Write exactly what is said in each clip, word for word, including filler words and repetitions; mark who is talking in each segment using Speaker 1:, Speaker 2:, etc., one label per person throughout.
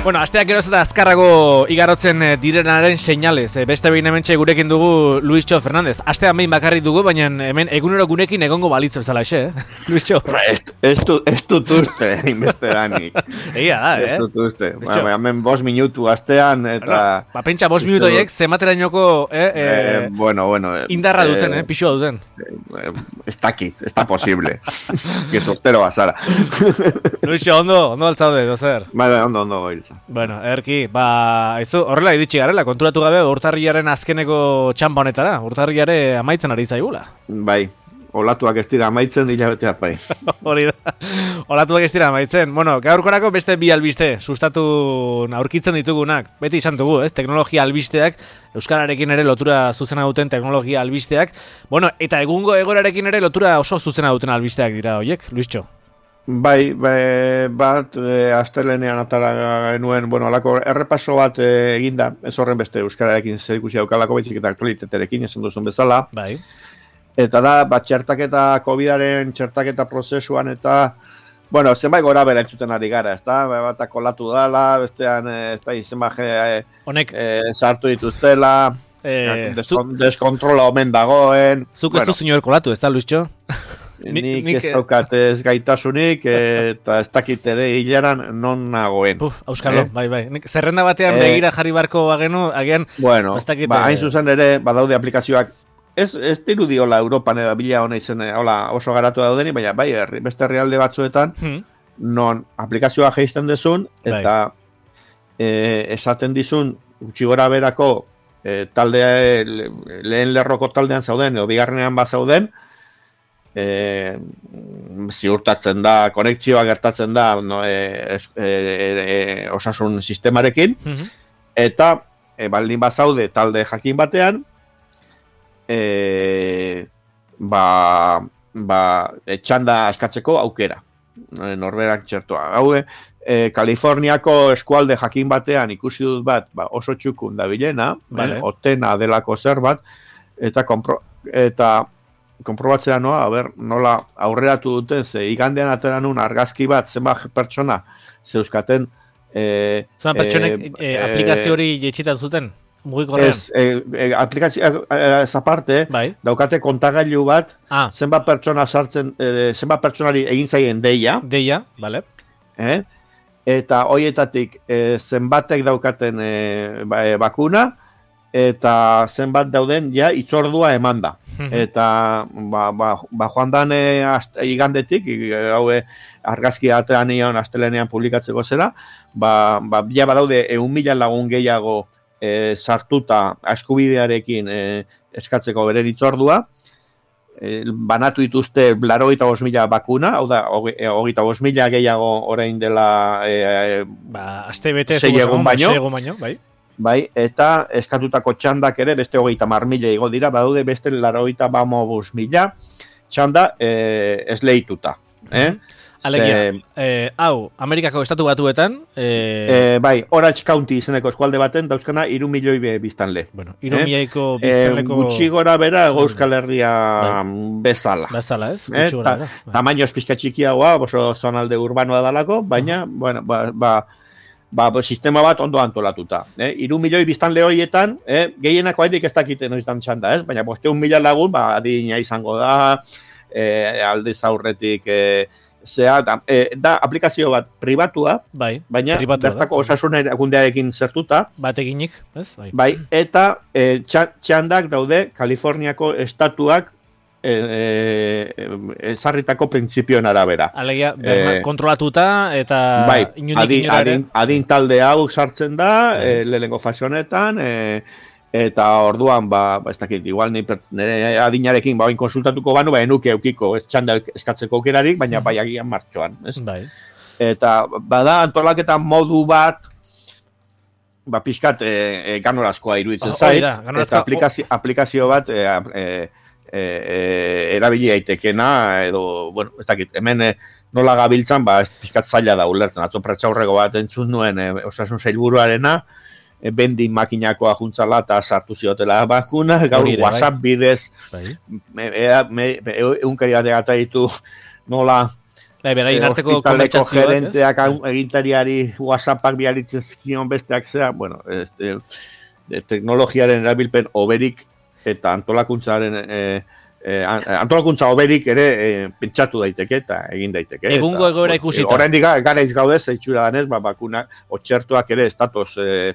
Speaker 1: Bueno, asteak geroz eta azkarrago igarotzen direnaren seinalez. Beste behin hementxe gurekin dugu Luisxo Fernandez. Astean behin bakarrik dugu, baina hemen egunero gurekin egongo balitz bezala xe, eh? Luisxo.
Speaker 2: Ez dut uste, inbeste danik.
Speaker 1: Egia da, eh?
Speaker 2: Ez dut uste. Hemen bost minutu astean eta...
Speaker 1: Ba, pentsa, bost minutu horiek zematerainoko
Speaker 2: eh, bueno, bueno,
Speaker 1: indarra duten, eh? Pixua duten.
Speaker 2: Ez dakit, ez da posible. Que sortero bazara.
Speaker 1: Luisxo, ondo, ondo altzaude, dozer.
Speaker 2: Bai, ondo, ondo goiltza.
Speaker 1: Bueno, erki, ba, aizu, horrela iritsi garela, konturatu gabe urtarrilaren azkeneko txampa honetara, urtarrilare amaitzen ari zaigula.
Speaker 2: Bai, olatuak ez dira amaitzen, hilabeteak bai.
Speaker 1: Hori da, olatuak ez dira amaitzen. Bueno, gaurkorako beste bi albiste, sustatu aurkitzen ditugunak, beti izan dugu, ez, teknologia albisteak, euskararekin ere lotura zuzena duten teknologia albisteak, bueno, eta egungo egorarekin ere lotura oso zuzena duten albisteak dira, oiek, Luisxo?
Speaker 2: Bai, bai, bat, e, astelenean atara genuen, bueno, alako errepaso bat e, eginda, ez horren beste euskararekin zer ikusi daukalako baizik eta aktualitatearekin, esan duzun bezala.
Speaker 1: Bai.
Speaker 2: Eta da, bat, txertaketa, COVIDaren txertaketa prozesuan eta, bueno, zenbait gora bera entzuten ari gara, ez da, bat kolatu dala, bestean, ez da, izen baje,
Speaker 1: honek,
Speaker 2: e, sartu dituztela,
Speaker 1: e,
Speaker 2: deskon, deskontrola omen dagoen.
Speaker 1: Zuk ez du zinor kolatu, ez da, Luisxo?
Speaker 2: Nik ez daukat ez gaitasunik eta ez dakit ere hilaran non nagoen.
Speaker 1: Puf, auskalo, eh? bai, bai. Nik zerrenda batean eh, begira jarri barko bagenu, agian...
Speaker 2: Bueno,
Speaker 1: dakit,
Speaker 2: ba, hain zuzen ere, badaude aplikazioak, ez, ez dirudi hola Europan edo bila hona izen, hola oso garatu daudeni, baina bai, herri, beste herrialde batzuetan, hmm. non aplikazioa geizten dezun, eta bai. e, esaten dizun, gutxi gora berako, e, talde, lehen lerroko taldean zauden, edo bigarrenean bat zauden, E, ziurtatzen da, konektzioa gertatzen da no, e, e, e, osasun sistemarekin, mm-hmm. eta e, baldin bazaude talde jakin batean, e, ba, ba, txanda askatzeko aukera, e, norberak txertua. Hau, e, Kaliforniako eskualde jakin batean ikusi dut bat, ba, oso txukun da bilena, vale. eh, otena delako zer bat, eta kompro, eta konprobatzea noa, a ber, nola aurreratu duten, ze igandean atera nun argazki bat, zenbat pertsona zeuzkaten... E,
Speaker 1: zenbat pertsonek e, e, aplikazio hori jetxitat zuten? Mugikorrean?
Speaker 2: Ez, e, e, aplikazio ez aparte,
Speaker 1: bai.
Speaker 2: daukate kontagailu bat, ah. zenbat pertsona sartzen, e, zenbat pertsonari egin zaien deia.
Speaker 1: Deia, bale.
Speaker 2: Eh? Eta hoietatik e, zenbatek daukaten e, ba, e, bakuna, eta zenbat dauden ja itzordua emanda. Eta ba, ba, ba joan dan e, igandetik, hau e, argazki atean nion astelenean publikatzeko zera, ba, ba ja badaude eun mila lagun gehiago e, sartuta eskubidearekin e, eskatzeko beren itzordua, e, banatu dituzte laurogeita bost mila bakuna, hau da, hogeita bost mila gehiago orain dela e, e,
Speaker 1: ba, aste bete
Speaker 2: sei egun baino,
Speaker 1: baino, bai.
Speaker 2: Bai, eta eskatutako txandak ere beste hogeita mar mila igo dira, badaude beste laurogeita bost mila txanda e, esleituta. Eh?
Speaker 1: Alegia, eh, hau, Amerikako estatu batuetan... Eh...
Speaker 2: Eh, bai, Orange County izeneko eskualde baten, dauzkana, iru milioi biztanle.
Speaker 1: Bueno, iru milioiko biztanleko...
Speaker 2: Eh, gutxi gora bera, Euskal Herria bezala.
Speaker 1: Bezala, ez?
Speaker 2: Eh? Ta, tamaino espizka txikiagoa, oso zonalde urbanoa dalako, baina, uh-huh. bueno, ba... ba Ba, sistema bat ondo antolatuta. Eh? Iru milioi biztanle horietan, eh? gehienako haidik ez dakite noitan txanda, ez? Baina bosteun mila lagun, ba, adina izango da, eh, aldez aurretik, eh, zea, da, eh, da aplikazio bat pribatua,
Speaker 1: bai,
Speaker 2: baina
Speaker 1: pribatua
Speaker 2: bertako osasun erakundearekin zertuta.
Speaker 1: Bateginik, ez? Bai,
Speaker 2: bai eta eh, txandak daude Kaliforniako estatuak ezarritako e, e, printzipioen arabera.
Speaker 1: Alegia, berna, e, kontrolatuta eta
Speaker 2: bai,
Speaker 1: inundik
Speaker 2: adin,
Speaker 1: inora ere.
Speaker 2: Adin, adin talde hau sartzen da, e, lehenengo fase honetan, e, eta orduan, ba, ba ez dakit, igual nire adinarekin ba, konsultatuko banu, ba, enuke eukiko, ez txanda eskatzeko aukerarik, baina bai agian martxoan. Ez?
Speaker 1: Bai.
Speaker 2: Eta, bada, antolaketa modu bat, ba, pixkat, e, e, ganorazkoa iruditzen
Speaker 1: oh,
Speaker 2: zait,
Speaker 1: da,
Speaker 2: eta aplikazio, aplikazio bat, e, e, E, e, erabili daitekena edo, bueno, ez dakit, hemen e, nola gabiltzan, ba, ez pixkat zaila da ulertzen, atzo pretxaurreko bat entzun nuen e, osasun sailburuarena, e, bendin makinakoa juntzala eta sartu ziotela bakuna, gaur Orire, WhatsApp bai. Bidez, bai. me, e, me, e, eunkari bat egata ditu nola
Speaker 1: Bai, beraien arteko
Speaker 2: hospitaleko
Speaker 1: konbertsazioak,
Speaker 2: gerenteak egintariari WhatsAppak bihalitzen zkion besteak zea, bueno, este, de teknologiaren erabilpen oberik eta antolakuntzaren eh, eh, antolakuntza oberik ere eh, pentsatu daiteke eta egin daiteke.
Speaker 1: Egungo egoera ikusita.
Speaker 2: Oraindik gara izgaude zeitzura danez, ba, bakuna, otxertuak ere estatos... Eh,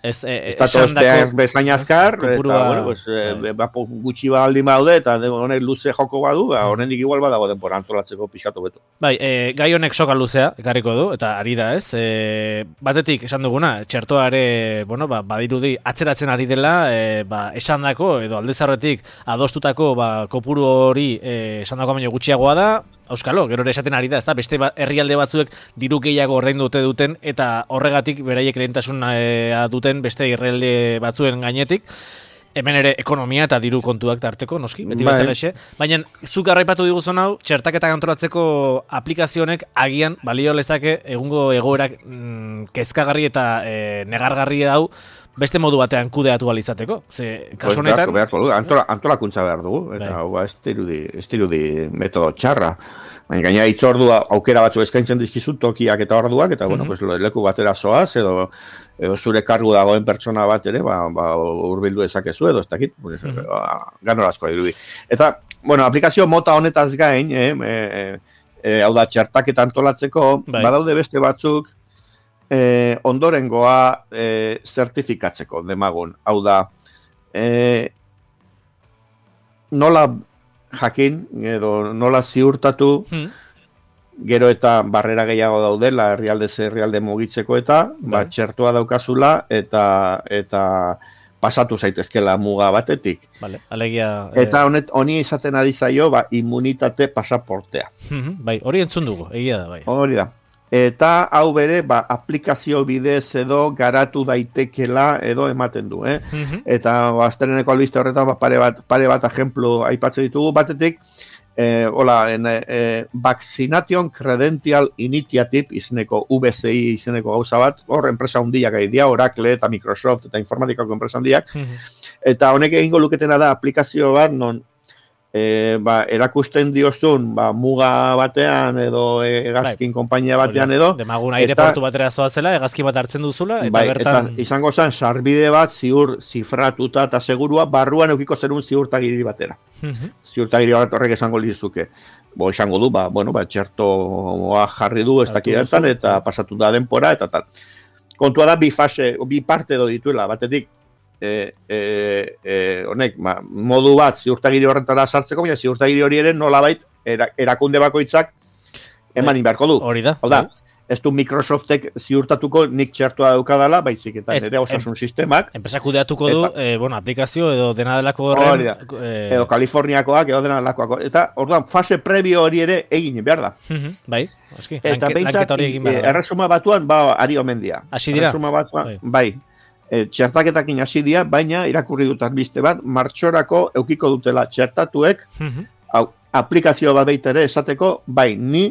Speaker 1: Ez, e,
Speaker 2: Estatos bezain azkar, eta,
Speaker 1: kopurua,
Speaker 2: bueno, pues, e, ba, gutxi baldin baude, eta honek luze joko badu, ba, horrendik igual badago denpora antolatzeko pixatu betu.
Speaker 1: Bai, e, gai honek soka luzea, ekarriko du, eta ari da, ez? E, batetik, esan duguna, txertoare, bueno, ba, badirudi atzeratzen ari dela, e, ba, esandako, edo aldezarretik adostutako, ba, kopuru hori e, esandako baino gutxiagoa da, Euskalo, gero ere esaten ari da, ezta? Beste ba, herrialde batzuek diru gehiago ordaindu dute duten eta horregatik beraiek lehentasuna duten beste herrialde batzuen gainetik. Hemen ere ekonomia eta diru kontuak tarteko, noski, beti bezala exe. Baina zuk arraipatu diguzun hau, txertaketa kontrolatzeko aplikazionek agian balio lezake egungo egoerak mm, kezkagarri eta e, negargarri hau beste modu batean kudeatu alizateko. Ze, kasu honetan...
Speaker 2: Pues beharko, beharko, antola, antolakuntza behar dugu, eta hau ba, ez dirudi metodo txarra. Baina gaina itzordua aukera batzu eskaintzen dizkizu tokiak eta orduak, eta bueno, mm-hmm. pues, leku batera zoaz, edo, edo zure kargu dagoen pertsona bat ere, ba, ba, urbildu ezakezu, edo ez dakit, pues, mm-hmm. ba, ganorazkoa dirudi. Eta, bueno, aplikazio mota honetaz gain, eh, eh, eh, hau da, txertaketa antolatzeko, bai. Badaude beste batzuk, Eh, ondorengoa eh, zertifikatzeko demagun. Hau da, eh, nola jakin, edo nola ziurtatu, hmm. gero eta barrera gehiago daudela, herrialde ze herrialde mugitzeko eta, ba, txertua daukazula, eta eta pasatu zaitezkela muga batetik.
Speaker 1: Vale, alegia...
Speaker 2: Eta honet, honi izaten ari zaio, ba, immunitate pasaportea.
Speaker 1: Hmm, bai, hori entzun dugu, egia da, bai.
Speaker 2: Hori da. Eta hau bere, ba, aplikazio bidez edo garatu daitekela edo ematen du, eh? Mm-hmm. Eta ba, aztereneko albiste horretan ba, pare bat, pare bat ejemplu aipatzen ditugu batetik, eh, hola, en, eh, Vaccination Credential Initiative izeneko V C I izeneko gauza bat, hor enpresa hundiak ari dira, Oracle eta Microsoft eta informatikako enpresa hundiak, mm-hmm. eta honek egingo luketena da aplikazio bat non E, ba, erakusten diozun ba, muga batean edo hegazkin bai. Konpainia batean edo
Speaker 1: demagun aireportu batera zoazela, hegazki bat hartzen duzula eta
Speaker 2: bai,
Speaker 1: bertan...
Speaker 2: Eta izango zen, sarbide bat ziur zifratuta eta segurua barruan eukiko zerun ziurtagiri batera. Mm-hmm. Ziurtagiri bat horrek esango lizuke. Bo, esango du, ba, bueno, ba, txertoa jarri du ez dakidetan eta pasatu da denpora eta tal. Kontua da bi fase, bi parte edo dituela, batetik E, e, e, honek, ma, modu bat ziurtagiri horretara sartzeko, baina ziurtagiri hori ere nolabait era, erakunde bakoitzak eman inbeharko du.
Speaker 1: Hori da.
Speaker 2: Hau da, ez du Microsoftek ziurtatuko nik txertua daukadala, baizik eta nire osasun sistemak.
Speaker 1: Enpresa kudeatuko du, e, bueno, aplikazio edo dena delako horren.
Speaker 2: Hori da, e... edo Kaliforniakoak edo dena delakoak. Eta, orduan, fase previo hori ere egin behar da.
Speaker 1: Mm-hmm, bai, oski,
Speaker 2: eta
Speaker 1: lanket,
Speaker 2: behintzat,
Speaker 1: e,
Speaker 2: erresuma batuan, ba, ari omen dia.
Speaker 1: Hasi dira?
Speaker 2: Erresuma batuan, bai. bai. E, txertaketakin hasi dira, baina irakurri dut albiste bat, martxorako eukiko dutela txertatuek, mm-hmm. hau, aplikazio bat baita ere esateko, bai, ni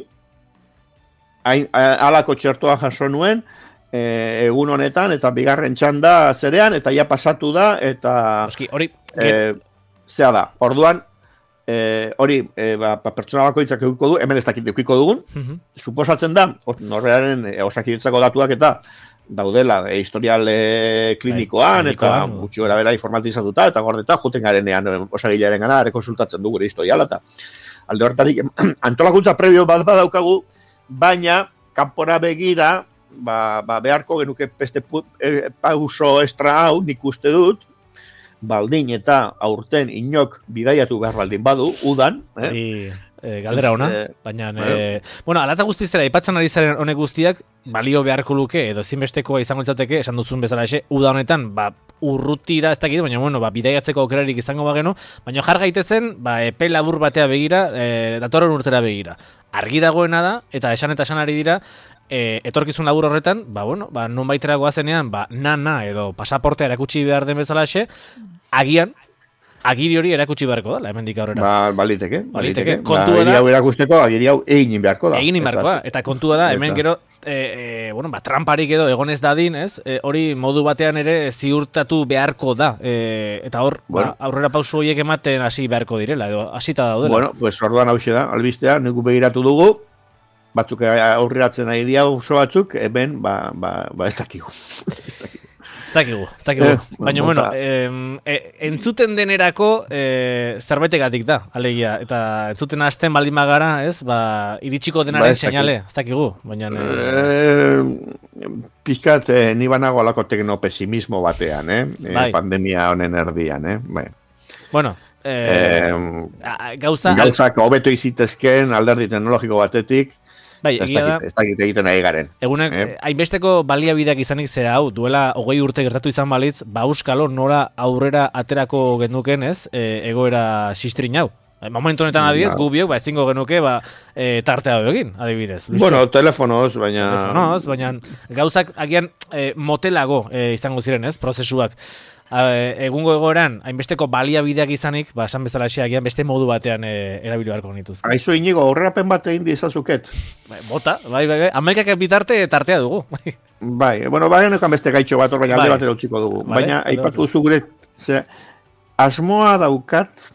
Speaker 2: hain, alako txertoa jaso nuen, e, egun honetan, eta bigarren txanda zerean, eta ja pasatu da, eta
Speaker 1: Oski, hori,
Speaker 2: e, zea da, orduan, e, hori, e, ba, pertsona bakoitzak eukiko du, hemen ez dakit eukiko dugun, mm-hmm. suposatzen da, norrearen e, osakidetzako datuak eta daudela e, historial e, klinikoan, Ai, eta gutxi gara bera informatizatuta, eta gordeta, juten garenean osagilearen gana, ere konsultatzen dugu historiala, eta alde horretarik, antolakuntza prebio bat badaukagu, baina, kanpora begira, ba, ba, beharko genuke beste e, pauso estra hau, nik uste dut, baldin eta aurten inok bidaiatu behar baldin badu, udan, eh?
Speaker 1: I... E, galdera ona, e, baina, e, bueno, alata guztizera, ipatzen ari zaren honek guztiak, balio beharko luke, edo zinbestekoa izango izateke, esan duzun bezala ese, uda honetan, ba, urrutira ez dakit, baina, bueno, ba, bidaiatzeko aukerarik izango bageno, baina jar gaitezen, ba, epe labur batea begira, e, datorren urtera begira. Argi dagoena da, eta esan eta esan ari dira, e, etorkizun labur horretan, ba, bueno, ba, non baitera goazenean, ba, na-na, edo pasaportea erakutsi behar den bezala ese, agian, agiri hori erakutsi beharko da, hemendik aurrera.
Speaker 2: Ba, baliteke, baliteke.
Speaker 1: Kontua
Speaker 2: ba, agiri hau erakusteko, agiri hau egin beharko da.
Speaker 1: Egin beharko da, eta kontua da, hemen gero, e, e, bueno, ba, tramparik edo egonez dadin, ez? E, hori modu batean ere ziurtatu beharko da. E, eta hor, bueno. ba, aurrera pausu horiek ematen hasi beharko direla, edo hasita daudela.
Speaker 2: Bueno, pues orduan hauxe da, albistea, nuku begiratu dugu, batzuk aurreratzen nahi dia oso batzuk, hemen, ba, ba, ba ez dakigu.
Speaker 1: Ez dakigu, ez dakigu. Baina, bueno, e, entzuten denerako e, zerbaitegatik da, alegia. Eta entzuten hasten baldin bagara, ez, ba, iritsiko denaren ba, seinale, ez dakigu. Baina...
Speaker 2: E, pizkat, e, ni banago alako teknopesimismo batean, eh? Bai. E, pandemia honen erdian, eh? Bai.
Speaker 1: Bueno, e,
Speaker 2: e,
Speaker 1: gauza...
Speaker 2: Gauzak hobeto izitezken alderdi teknologiko batetik, bai, egia da, ez dakit egiten nahi garen.
Speaker 1: Egunek, eh? hainbesteko baliabideak izanik zera hau, duela hogei urte gertatu izan balitz, ba euskalo nora aurrera aterako genuken, ez, e, egoera sistrin hau. Momentu honetan adiez, gu biok, ba, ezingo genuke, ba, e, tartea hau egin, adibidez. Luiztxo?
Speaker 2: Bueno, telefonoz, baina...
Speaker 1: Telefonoz, baina gauzak agian e, motelago e, izango ziren, ez, prozesuak. Egungo egoeran, hainbesteko baliabideak izanik, ba, esan bezala agian beste modu batean e, erabili beharko genituz.
Speaker 2: Aizu inigo, horreapen bat egin dizazuket.
Speaker 1: Bai, bota, bai, bai, bai. Amerikak bitarte tartea dugu.
Speaker 2: Bai, bueno, bai, nekan beste gaitxo bat, baina alde batera utziko dugu. Vale, baina, aipatu zugure, ze, asmoa daukat,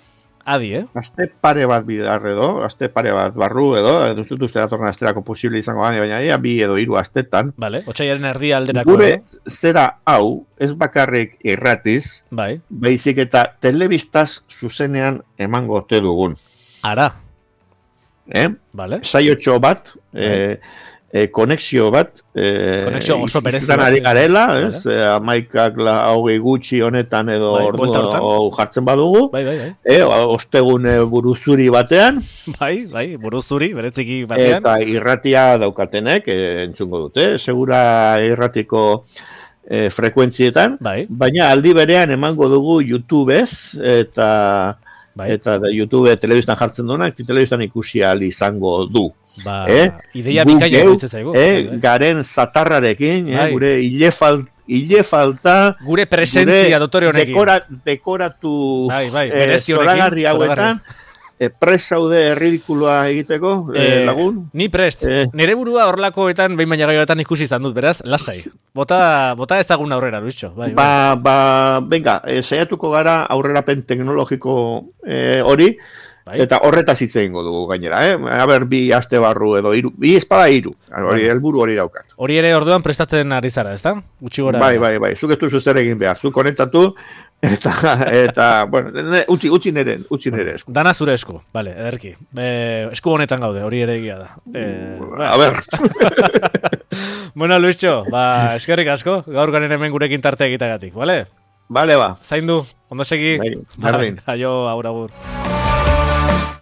Speaker 1: adi, eh?
Speaker 2: Azte pare bat bidar edo, azte pare bat barru edo, duzut uste datorren asterako posible izango gane, baina ea, bi edo hiru astetan.
Speaker 1: Vale, otxaiaren erdia alderako.
Speaker 2: Gure zera hau, ez bakarrik irratiz,
Speaker 1: bai.
Speaker 2: Baizik eta telebistaz zuzenean emango ote dugun.
Speaker 1: Ara.
Speaker 2: Eh?
Speaker 1: Vale.
Speaker 2: Saiotxo bat, bai. eh, E, konexio bat e,
Speaker 1: konexio oso berezi
Speaker 2: bat ari garela, ez? Vale. E, amaikak la hogei gutxi honetan edo
Speaker 1: bai,
Speaker 2: ordu jartzen badugu,
Speaker 1: bai, bai, bai.
Speaker 2: E, ostegun buruzuri batean,
Speaker 1: bai, bai, buruzuri bereziki batean,
Speaker 2: eta irratia daukatenek e, entzungo dute, segura irratiko e, frekuentzietan, bai. Baina aldi berean emango dugu YouTubez, eta bai. Eta da, YouTube telebistan jartzen duenak, telebistan ikusi ahal izango du.
Speaker 1: Ba, eh? Ideia bikaina duitzen zaigu.
Speaker 2: Eh, bai. Garen zatarrarekin, eh, gure ile, fal, ile falta,
Speaker 1: gure presentzia dotore honekin.
Speaker 2: Dekora, dekoratu
Speaker 1: bai, bai,
Speaker 2: eh, zoragarri hauetan, eh, prest zaude ridikuloa egiteko, eh, lagun.
Speaker 1: Ni prest. Eh. Nere burua horlakoetan, behin baina gaioetan ikusi izan dut, beraz, lasai. Bota, bota ezagun aurrera, Luizxo. Bai,
Speaker 2: ba, bai. ba, venga, eh, saiatuko gara aurrerapen teknologiko eh, hori, bai. Eta horretaz hitz egingo dugu gainera, eh? A ber, bi aste barru edo hiru, bi espada hiru. Hori bai. Helburu hori daukat.
Speaker 1: Hori ere orduan prestatzen ari zara, ezta? Gutxi gora.
Speaker 2: Bai, bai, bai. Zuk ez duzu zer egin behar. Zuk konektatu eta eta bueno, utzi utzi nere, utzi nere esku.
Speaker 1: Dana zure esku. Vale, ederki. Eh, esku honetan gaude, hori ere egia da. Eh,
Speaker 2: a ber.
Speaker 1: Bueno, Luizxo, ba, eskerrik asko, gaur garen hemen gurekin tarte egitagatik, vale?
Speaker 2: Vale, ba.
Speaker 1: Zaindu, ondo segi.
Speaker 2: Bai, berdin.
Speaker 1: Aio, agur, agur.